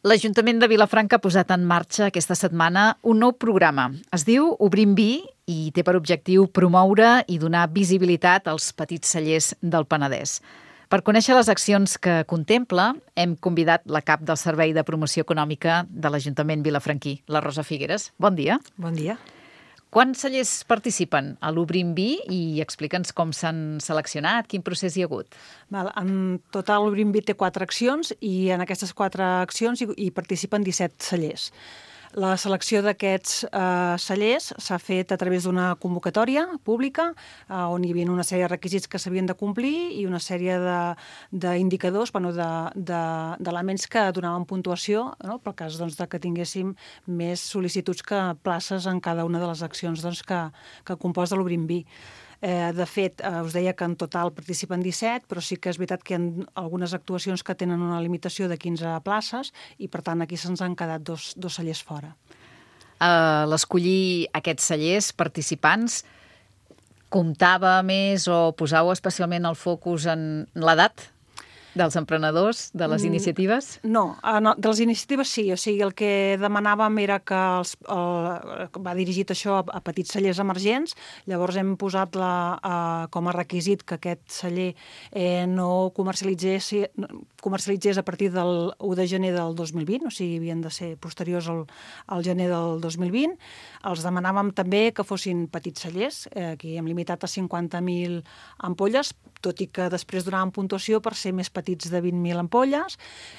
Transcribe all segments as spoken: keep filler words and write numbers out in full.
L'Ajuntament de Vilafranca ha posat en marxa aquesta setmana un nou programa. Es diu Obrim Vi i té per objectiu promoure i donar visibilitat als petits cellers del Penedès. Per conèixer les accions que contempla, hem convidat la cap del Servei de Promoció Econòmica de l'Ajuntament vilafranquí, la Rosa Figueres. Bon dia. Bon dia. Quants cellers participen a l'Obrim Vi i explica'ns com s'han seleccionat, quin procés hi ha hagut? Val, en total l'Obrim Vi té quatre accions i en aquestes quatre accions hi, hi participen disset cellers. La selecció d'aquests eh, cellers s'ha fet a través d'una convocatòria pública eh, on hi havia una sèrie de requisits que s'havien de complir i una sèrie d'indicadors, bueno, d'elements de, que donaven puntuació, no? Pel cas doncs, de que tinguéssim més sol·licituds que places en cada una de les accions doncs, que, que composa l'Obrim Vi. Eh, de fet, eh, us deia que en total participen disset, però sí que és veritat que hi ha algunes actuacions que tenen una limitació de quinze places i, per tant, aquí se'ns han quedat dos, dos cellers fora. Uh, L'escollir aquests cellers participants comptava més o posau especialment el focus en l'edat dels emprenedors, de les iniciatives? No, no, de les iniciatives sí. O sigui, el que demanàvem era que els, el, va dirigit això a, a petits cellers emergents. Llavors hem posat la, uh, com a requisit que aquest celler eh, no comercialitzés, comercialitzés a partir del u de gener del dos mil vint, o sigui, havien de ser posteriors al, al gener del dos mil vint. Els demanàvem també que fossin petits cellers, eh, que hem limitat a cinquanta mil ampolles, tot i que després donàvem puntuació per ser més petits de vint mil ampolles.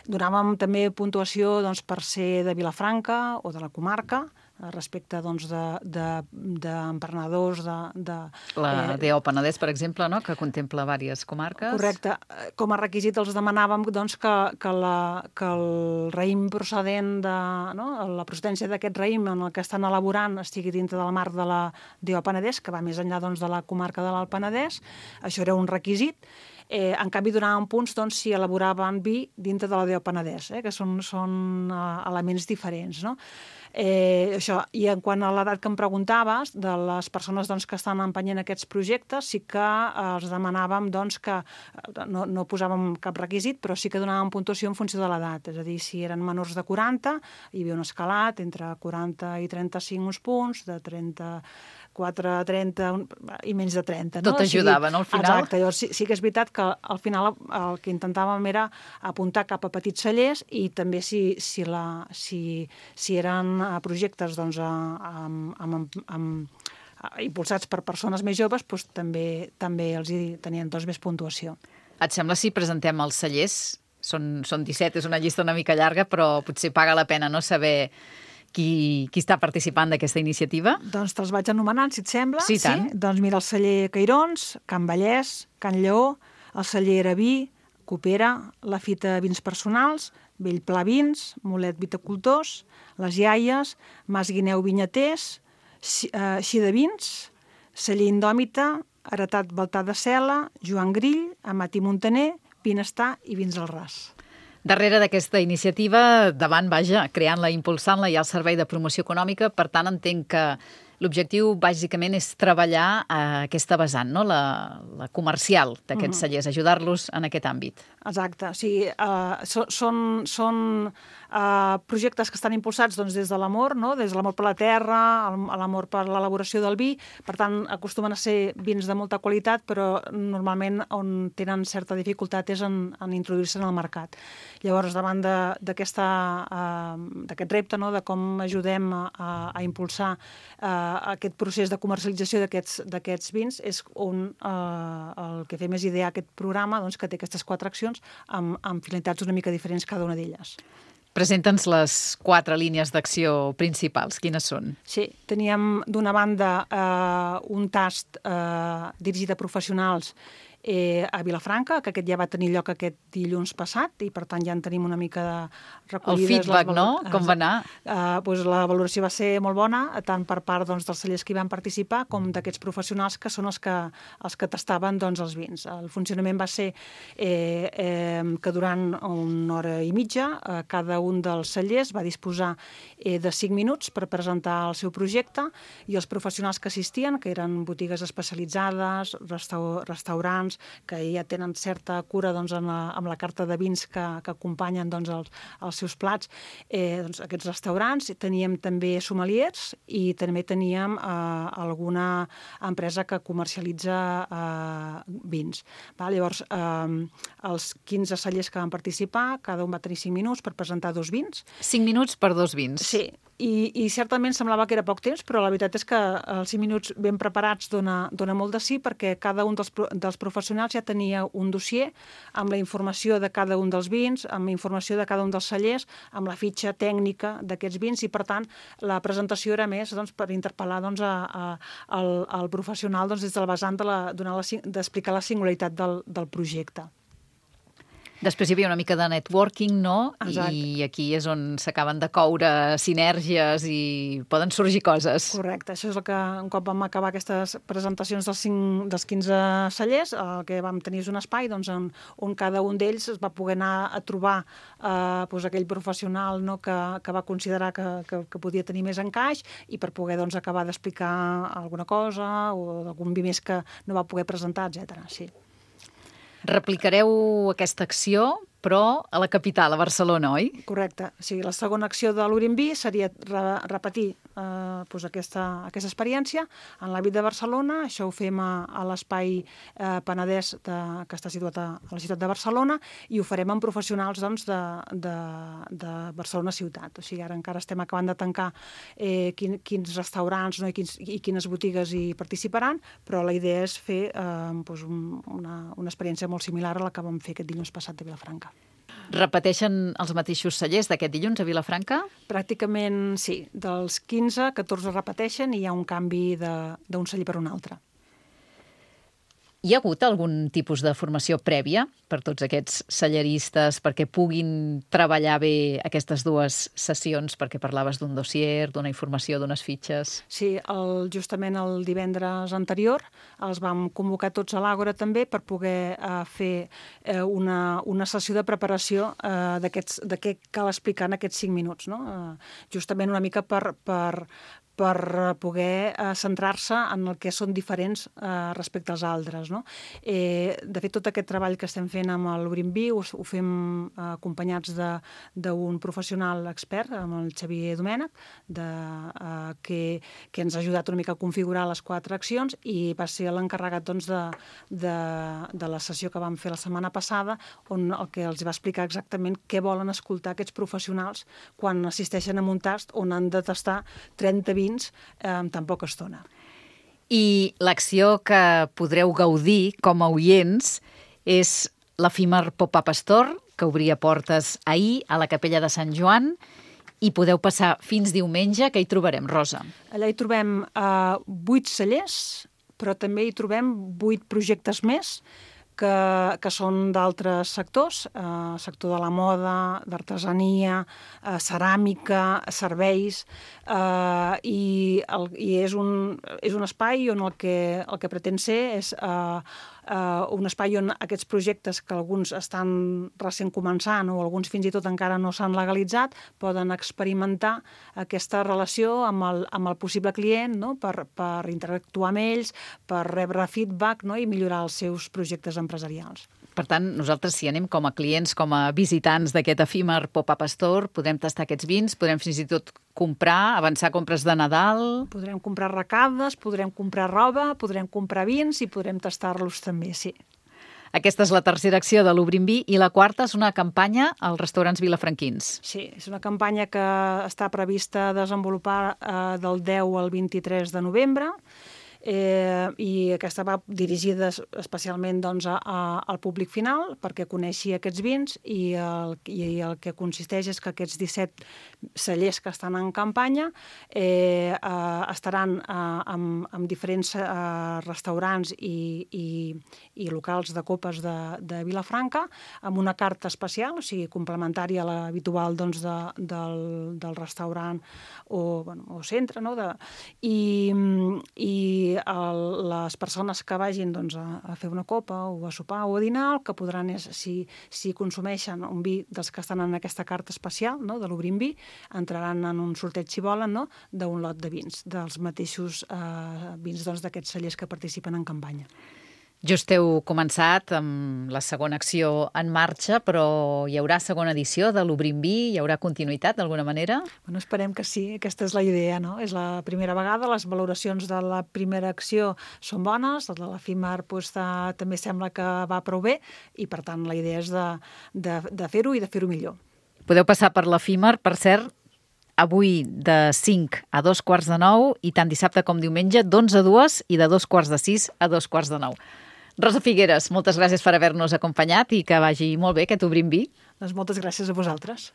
Donàvem també puntuació doncs, per ser de Vilafranca o de la comarca, respecte doncs, d'emprenedors de, de, de, la eh, D O Penedès, per exemple, no? Que contempla diverses comarques. Correcte. Com a requisit els demanàvem doncs, que, que, la, que el raïm procedent de... No? La procedència d'aquest raïm en el que estan elaborant estigui dintre del marc de la D O Penedès, que va més enllà doncs, de la comarca de l'Alt Penedès. Això era un requisit. Eh, en canvi, donàvem punts doncs, si elaboraven vi dintre de la D O Penedès, eh, que són, són uh, elements diferents, no? Eh, això. I en quant a l'edat que em preguntaves, de les persones doncs, que estan empenyent aquests projectes, sí que eh, els demanàvem doncs, que no, no posàvem cap requisit, però sí que donàvem puntuació en funció de l'edat. És a dir, si eren menors de quaranta, hi havia un escalat entre quaranta i trenta-cinc uns punts, de trenta-quatre a trenta i menys de trenta. No? Tot ajudava, no, al final? Exacte. Llavors, sí, sí que és veritat que al final el que intentàvem era apuntar cap a petits cellers i també si, si, la, si, si eren projectes doncs, amb, amb, amb, impulsats per persones més joves, doncs, també, també els hi tenien doncs, més puntuació. Et sembla si presentem els cellers? Són, són disset, és una llista una mica llarga, però potser paga la pena no saber qui, qui està participant d'aquesta iniciativa? Doncs te'ls vaig anomenant, si et sembla. Sí, tant. Sí? Doncs mira, el celler Cairons, Can Vallès, Can Lleó, el celler Eraví, Copera, la Fita Vins Personals, Bellpla Vins, Molet Viticultors, Les Iaies, Mas Guineu Vinyaters, Xida Vins, celler Indòmita, Heretat Baltar de Cela, Joan Grill, Amat i Montaner, Vinestar i Vins al Ras. Darrere d'aquesta iniciativa, davant, vaja, creant-la, impulsant-la, hi ha el Servei de Promoció Econòmica, per tant entenc que l'objectiu bàsicament és treballar a aquesta vessant, no? la, la comercial d'aquests uh-huh. cellers, ajudar-los en aquest àmbit. Exacte, o sigui, uh, so, són, són uh, projectes que estan impulsats doncs, des de l'amor, no? Des de l'amor per la terra, l'amor per l'elaboració del vi, per tant, acostumen a ser vins de molta qualitat, però normalment on tenen certa dificultat és en, en introduir-se en el mercat. Llavors, davant d'aquest uh, repte, no? De com ajudem a, a, a impulsar uh, aquest procés de comercialització d'aquests vins, és on eh, el que fem és idear aquest programa doncs, que té aquestes quatre accions amb, amb finalitats una mica diferents cada una d'elles. Presenta'ns les quatre línies d'acció principals. Quines són? Sí, teníem d'una banda eh, un tast eh, dirigit a professionals eh, a Vilafranca, que aquest ja va tenir lloc aquest dilluns passat i per tant ja en tenim una mica de recollides. El feedback, les... no? Com va anar? Eh, doncs la valoració va ser molt bona, tant per part doncs, dels cellers que hi van participar com d'aquests professionals que són els que, els que tastaven doncs, els vins. El funcionament va ser eh, eh, que durant una hora i mitja eh, cada un dels cellers va disposar eh, de cinc minuts per presentar el seu projecte i els professionals que assistien, que eren botigues especialitzades, restau restaurants, restaurants que ja tenen certa cura doncs, en la, amb la carta de vins que, que acompanyen doncs, els, els seus plats. Eh, doncs, aquests restaurants, teníem també sommeliers i també teníem eh, alguna empresa que comercialitza eh, vins. Va, llavors, eh, els quinze cellers que van participar, cada un va tenir cinc minuts per presentar dos vins. cinc minuts per dos vins. Sí, i, i certament semblava que era poc temps, però la veritat és que els cinc minuts ben preparats dona, dona molt de sí, perquè cada un dels, dels professionals ja tenia un dossier amb la informació de cada un dels vins, amb la informació de cada un dels cellers, amb la fitxa tècnica d'aquests vins, i per tant la presentació era més doncs, per interpel·lar doncs, a, a, al, al professional doncs, des del vessant de la, d'explicar la singularitat del, del projecte. Després hi havia una mica de networking, no? Exacte. I aquí és on s'acaben de coure sinergies i poden sorgir coses. Correcte, això és el que un cop vam acabar aquestes presentacions dels, cinc, dels quinze cellers, el que vam tenir és un espai doncs, on, on cada un d'ells es va poder anar a trobar eh, doncs, aquell professional no, que, que va considerar que, que, que podia tenir més encaix i per poder doncs, acabar d'explicar alguna cosa o algun vi més que no va poder presentar, etcètera. Sí. Replicareu aquesta acció, però a la capital, a Barcelona, oi? Correcte. O sigui, la segona acció de l'Urimbí seria re repetir eh, doncs aquesta, aquesta experiència en l'àmbit de Barcelona. Això ho fem a, a l'espai eh, Penedès de, que està situat a, a la ciutat de Barcelona, i ho farem amb professionals doncs, de, de, de Barcelona ciutat. O sigui, ara encara estem acabant de tancar eh, quin, quins restaurants no, i, quins, i quines botigues hi participaran, però la idea és fer eh, doncs un, una, una experiència molt similar a la que vam fer aquest dilluns passat a Vilafranca. Repeteixen els mateixos cellers d'aquest dilluns a Vilafranca? Pràcticament sí. Dels quinze, catorze repeteixen i hi ha un canvi d'un celler per un altre. Hi ha hagut algun tipus de formació prèvia per tots aquests celleristes perquè puguin treballar bé aquestes dues sessions, perquè parlaves d'un dossier, d'una informació, d'unes fitxes? Sí, el, justament el divendres anterior els vam convocar tots a l'Àgora també per poder eh, fer eh, una, una sessió de preparació eh, d'aquests, de què cal explicar en aquests cinc minuts. No? Eh, justament una mica per... per per poder eh, centrar-se en el que són diferents eh, respecte als altres. No? Eh, de fet, tot aquest treball que estem fent amb l'Urimbí ho, ho fem eh, acompanyats d'un professional expert, amb el Xavier Domènech, de, eh, que, que ens ha ajudat una mica a configurar les quatre accions, i va ser l'encarregat doncs, de, de, de la sessió que vam fer la setmana passada, on el que els va explicar exactament què volen escoltar aquests professionals quan assisteixen a un tast on han de tastar trenta vins en tan poca estona. I l'acció que podreu gaudir com a oients és l'efímer Pop-up Store, que obria portes ahir a la Capella de Sant Joan, i podeu passar fins diumenge, que hi trobarem, Rosa. Allà hi trobem eh, vuit cellers, però també hi trobem vuit projectes més, que, que són d'altres sectors, eh, sector de la moda, d'artesania, eh, ceràmica, serveis, eh, i, el, i és, un, és un espai on el que, el que pretén ser és eh, Uh, un espai on aquests projectes, que alguns estan recent començant o alguns fins i tot encara no s'han legalitzat, poden experimentar aquesta relació amb el, amb el possible client, no? per, per interactuar amb ells, per rebre feedback, no? I millorar els seus projectes empresarials. Per tant, nosaltres, si anem com a clients, com a visitants d'aquest efímer Pop-up Store, podem tastar aquests vins, podem fins i tot comprar, avançar compres de Nadal... Podrem comprar recades, podrem comprar roba, podrem comprar vins i podrem tastar-los també, sí. Aquesta és la tercera acció de l'Obrimbí, i la quarta és una campanya als restaurants vilafranquins. Sí, és una campanya que està prevista desenvolupar eh, del deu al vint-i-tres de novembre, Eh, i aquesta va dirigida especialment doncs, a, a, al públic final perquè coneixi aquests vins, i el, i el que consisteix és que aquests disset cellers que estan en campanya eh, eh, estaran eh, amb, amb diferents eh, restaurants i, i, i locals de copes de, de Vilafranca, amb una carta especial, o sigui, complementària a l'habitual doncs, de, del, del restaurant o, bueno, o centre, no? de, i, i el, les persones que vagin doncs, a, a fer una copa o a sopar o a dinar, el que podran és, si, si consumeixen un vi dels que estan en aquesta carta especial, no? de l'Obrimbí, entraran en un sorteig, si volen, no? d'un lot de vins, dels mateixos eh, vins doncs, d'aquests cellers que participen en campanya. Just heu començat amb la segona acció en marxa, però hi haurà segona edició de l'Obrim Vi? Hi haurà continuïtat d'alguna manera? Bueno, esperem que sí, aquesta és la idea, no? És la primera vegada, les valoracions de la primera acció són bones, la de l'efímer pues, de, també sembla que va prou bé i per tant la idea és de, de, de fer-ho i de fer-ho millor. Podeu passar per l'efímer, per cert, avui de cinc a dos quarts de nou i tant dissabte com diumenge d'onze a dues i de dos quarts de sis a dos quarts de nou. Rosa Figueres, moltes gràcies per haver-nos acompanyat i que vagi molt bé aquest Obrim Vi. Doncs moltes gràcies a vosaltres.